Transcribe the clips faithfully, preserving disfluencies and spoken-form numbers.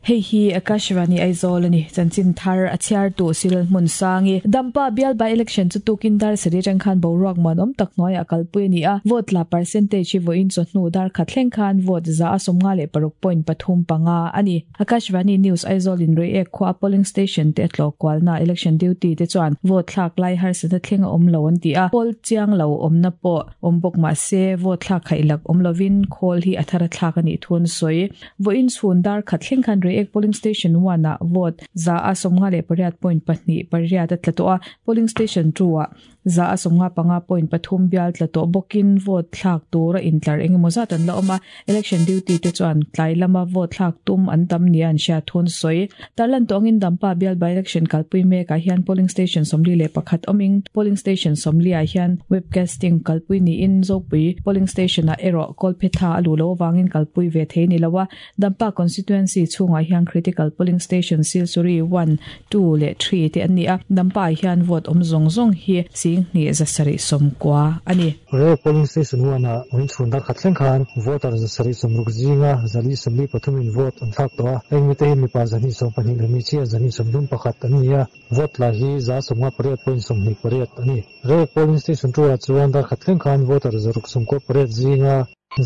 Hei hi Akashvani Aizawl ani chanchin thar a chhiar tu sil hmun sangi Dampa bial by election chu tukin dar sari tang khan boruak man om tak noi a kalpui ni a vote la percentage hi voin chu hnu dar khathleng khan vote za asomnga le paruk point pathum panga ani Akashvani News Aizawl in rei ek khwa polling station te tlo kwalna election duty te chuan vote thlak lai har sa thlenga om lo an ti a pol chiang lo omna po ombok ma se vote thlak khailak om lovin khol hi athara thlak ani thun soi voin chhun dar khathleng khan rei ek polling station one a vote za asomnga le pariat point pahni pariat atlato a polling station two a za asomnga panga point pathum bial tlato bokin vote thlak tura intlar engemaw zat an la awm a election duty te chuan tlai lama vote thlak tum an tam ni an hria thun sawi tarlan tawngin Dampa bial by election kalpui mek ah hian polling station sawmli leh pakhat awmin polling station sawmli ah hian webcasting kalpui niin Zopui polling station ah erawh Kolphetha a lu lo awangin kalpui ve thei ni lo a Dampa constituency chhungah hian critical polling station Silsuri one two leh three te an ni a Dampa ah hian vote awm zawng zawng hi sing hnih zasarih sawmkua ani. Re polling station one a oin chhun dar khathleng khan voter zasarih sawmruk zinga zali sawmli pathum in vote an thlak tawh a heng mite hi mipa zahnih sawm pahnih leh hmeichhia zahnih sawmthum pakhat an ni a vote la hi za sawmnga pariat point sawmhnih pariat ani. Re polling station two ah chuan dar khathleng khan voter zaruk sawmkua pariat zinga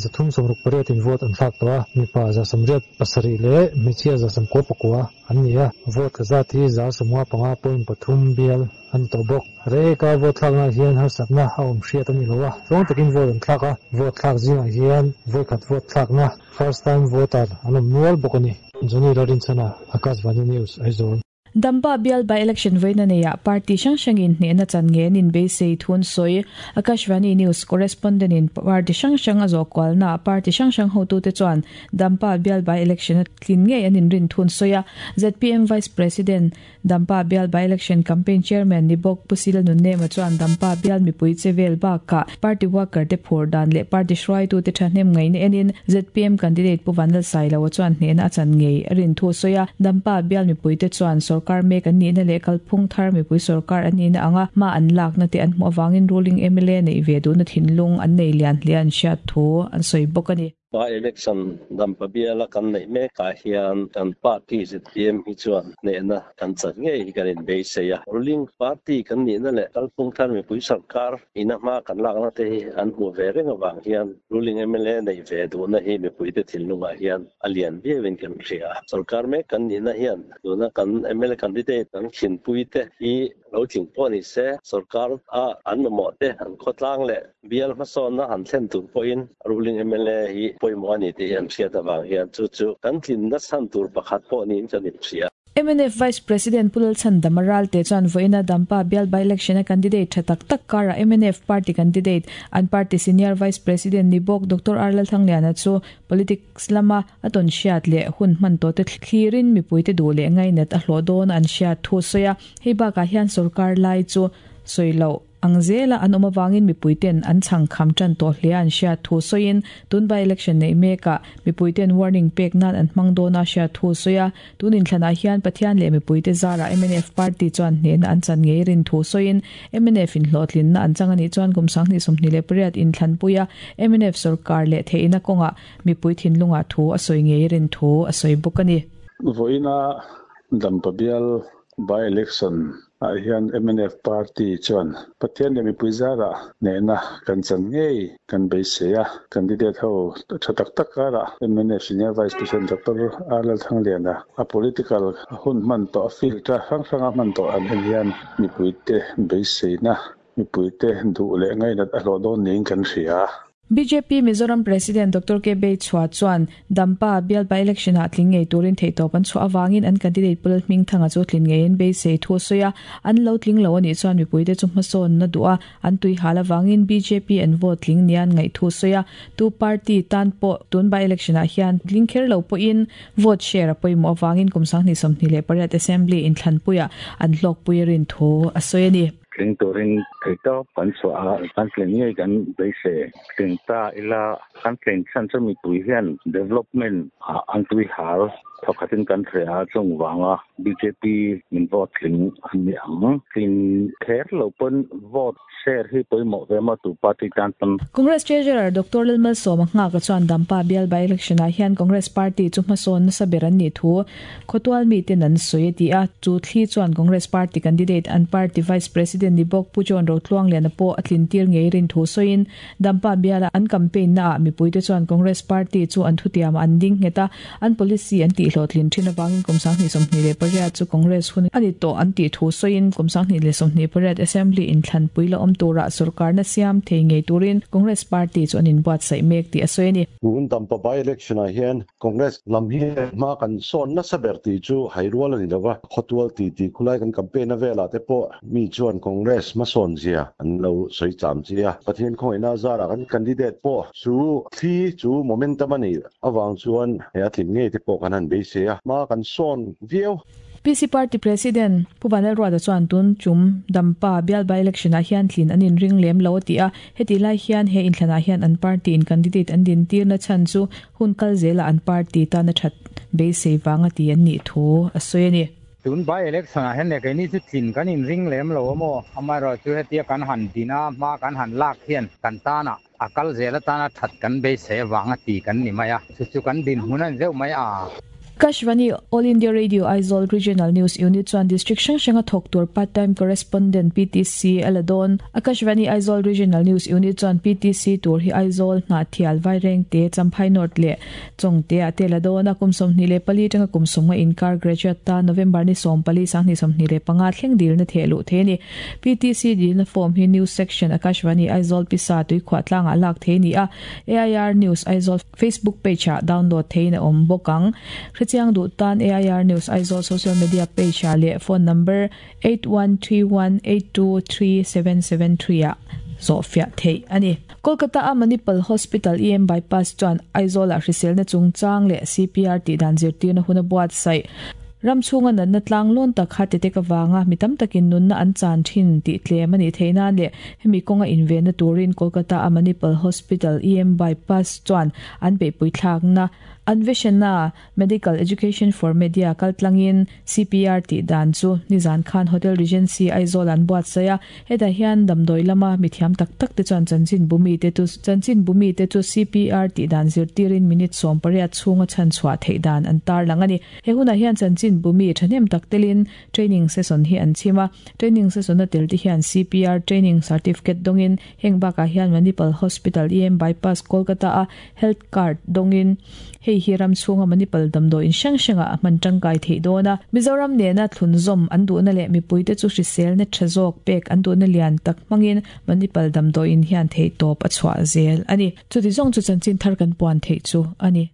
zathum sawmruk pariat in vote an thlak tawh a mipa za sawmriat pasarih leh hmeichhia za sawmkua pakua an ni a vote la zat hi za sawmnga panga point pathum bial an tawh bawk. Re ka vote thlakna hian harsatna a awm hriat ani lo a chuang takin vote an thlak a vote thlak zingah hian voikhat vote thlakna first time voter an awm nual bawk ani. Johnny Larinchana, Akashvani News, Aizawl. Dampa bial by election voina neia party hrang hrangin hnehna chan nge nin beisei thun sawi Akashvani News correspondent in party hrang hrang a zawh kualna party hrang hrang hotu te chuan Dampa bial by election a tlin ngei an inrin thun sawi a Z P M Vice President Dampa bial by election campaign chairman ni bawk Pusila Nunnema chuan Dampa bial mipui chevel bakah party worker te phur dan leh party hruaitu te thahnem ngai na enin Z P M candidate Pu Vanlal Sailoa chuan hnehna a chan ngei a rin thu sawi a Dampa bial mipui te chuan sarkar mek an ni na leh kalphung thar mipui sarkar an ni na anga ma an lak na te an hmuh awangin ruling M L A nei ve duh na thinlung an nei lian hlian hriat thu an sawi bawk ani. By election Dampa biala kan nei mekah hian kan party Z P M hi chuan hnehna kan chan ngei hi kan inbeisei a ruling party kan ni na leh kalphung thar mipui sarkar ina hma kan lakna te hi an hmu ve reng awang hian ruling M L A nei ve duhna hi mipui te thinlungah hian a lian viauin kan hria sarkar mek kan ni na hian tuna kan M L A candidate kan khinpui te hi lo tling pawh ni se sarkar a an mamawh te an khawtlang leh bial hmasawnna han thlen tur pawhin ruling M L A hi pawimawh ani tih an hriat awang hian chu chu kan tlinna chhan tur pakhat pawh niin kan inhria. M N F Vice President Pulal Chandamaral te chuan voina Dampa bial by election a candidate tha tak tak kara M N F party candidate an party senior vice president ni bawk Doctor Arlal Thangliana chu politics lama aton hriat leh hun hman to te thlirin mipui te duh leh ngainat a hlawh dawn an hriat thu sawi a hei bakah hian sarkar lai chu sawi lo angzela an awm awangin mipui ten an chhang kham tan tawh hle an hriat thu sawiin tun by election nei mekah mipui ten warning pek nan an hmang dawn a hriat thu sawi a tunin thlanah hian Pathian leh mipui te zara M N F party chuan hnehna an chan ngei rin thu sawiin M N F in hlawhtlinna an chang ani chuan kum sanghnih sawmhnih leh pariat in thlanpui a M N F sarkar leh theihna kawngah mipui thinlungah thu a sawi ngei rin thu a sawi bawk ani. Voina Dampa bial by election ah hian M N F party chuan Pathian leh mipui zara hnehna kan chan ngei kan beisei a candidate ho tha tak tak kara M N F senior vice president Doctor Arlal Thangliana a political hun hman tawh a field a hrang hranga hman tawh an en hian mipui te beisei na mipui te duh leh ngainat a hlawh dawn niin kan hria. B J P Mizoram President Doctor K Bei Chua chuan Dampa bial by election ah tling ngei turin theitawp an chhuah awangin an candidate Pulal Hming Thanga chu tlin ngeiin beisei thu sawi a an lo tling lo ani chuan mipui te chu hmasawn na duh a an tui hal awangin B J P an vote tling nian ngaih thu sawi a tu party tan pawh tun by election ah hian tling kher lo pawhin vote share a pawimawh awangin kum sanghnih sawmhnih leh pariat assembly in thlanpuia an hlawkpui rin thu a sawi ani. Tling turin theitawp kan chhuah a, kan tlin ngei kan beisei. Tling ta ila kan tlin chhan chu mipui hian development ah an tui hal thawkhatin kan hria a, chung vanga B J P min vote tling an ni ang. Tlin kher lo pawn vote share hi pawimawh ve maw tu party tan pawn. Congress Treasurer Doctor Lalmalsawma Nghaka chuan Dampa bial by election ah hian Congress party chu hmasawn nasa ber an nih thu khawtual miten an sawi a ti a. Chu thli chuan Congress party candidate, an party vice president ni bawk Pu John Rotluangliana pawh a tlin tir ngei rin thu sawiin, Dampa biala an campaign na ah mipuite chuan Congress party chu an thutiam an ding nghet a, an policy an tih hlawhtlin thin avangin kum sanghnih sawmhnih leh pariat chu Congress hun a ni tawh an tih thu sawiin, kum sanghnih leh sawmhnih pariat assembly inthlanpui la awm turah sorkar na siam thei ngei turin Congress party chu an inbuatsaih mek tih a sawi a ni. Tun Dampa by election ah hian Congress lam hi hma kan sawn nasa ber tih chu hairual a ni lova. Khawtual ti ti khulai kan campaign a velah te pawh mi chuan Congress hmasawn zia an lo sawi cham chi a. Pathian khawngaihna zarah kan candidate pawh chu thli chu momentum a nih avang chuan he a tlin ngei te pawh kan han beisei a, hma kan sawn viau. P C Party President Pu Vanlalruata chuan tun tum Dampa bial by election ah hian tlin an inring lem lo a ti a. Heti lai hian he inthlanah hian an party in candidate an din tirna chhan chu hun kal zela an party tana that beisei vanga ti an nih thu a sawi a ni. Tun by election ah hian le keini chu tlin kan inring lem lo amaw, amaherawh chu hetia kan han dina hma kan han lak hian kan tana a kal zel atana that kan beisei avanga ti kan ni mai a, chu chu kan din hmun a ni deuh mai a. Akashvani All India Radio Aizawl Regional News Unit chuan district hrang hranga thawk tur part time correspondent P T C a la dawn. Akashvani Aizawl Regional News Unit chuan P T C tur hi Aizawl, Hnahthial, Vairengte, Champhai North leh Chawngte ah te la dawn a. Kum sawmhnih leh pali tanga kum sawmnga inkar graduate ta November ni sawm pali sanghnih sawmhnih leh panga thleng dilna theh luh thei a ni. P T C dilna form hi News Section, Akashvani Aizawl Pisa Tuikhuah tlangah lak thei ni a. A I R News Aizawl Facebook page ah download thein a awm bawk ang. Hrechiang duh tan A I R News Aizawl social media page ah leh phone number eight one three one eight two three seven seven three ah zawhfiah theih a ni. Kolkata a Manipal Hospital E M Bypass chuan Aizawl ah hriselna chungchang leh C P R tih dan zirtirna hun a buatsaih. Ram chhunga natna tlang lawn tak heart attack awanga mi tam takin nunna an chan thin tih tlem ani theih nan leh hemi kawnga invenna turin Kolkata a Manipal Hospital E M Bypass chuan an beihpui thlakna Anveshana Medical Education for Media kaltlangin C P R tih dan chu nizan khan Hotel Regency Aizawl an buatsaih a. Hetah hian damdawi lama mithiam tak tak te chuan chanchin bumi te chu chanchin bumi te chu C P R tih dan zirtirin minute sawm pariat chhunga chhan chhuah theih dan an tar lang ani. He hunah hian chanchin bumi thahnem tak telin training session hi an chim a. Training session a tel te hian C P R training certificate dawngin, heng bakah hian Manipal Hospital E M Bypass Kolkata a health card dawngin, hei hi ram chhunga Manipal damdawi in hrang hranga a hman tangkai theih dawn a. Mizoram nena thlunzawm an duhna leh mipuite chu hriselna tha zawk pek an duhna lian tak hmangin Manipal damdawi in hian theih tawp a chhuah zel ani. Chuti zawng chu chanchin thar kan puan theih chu ani.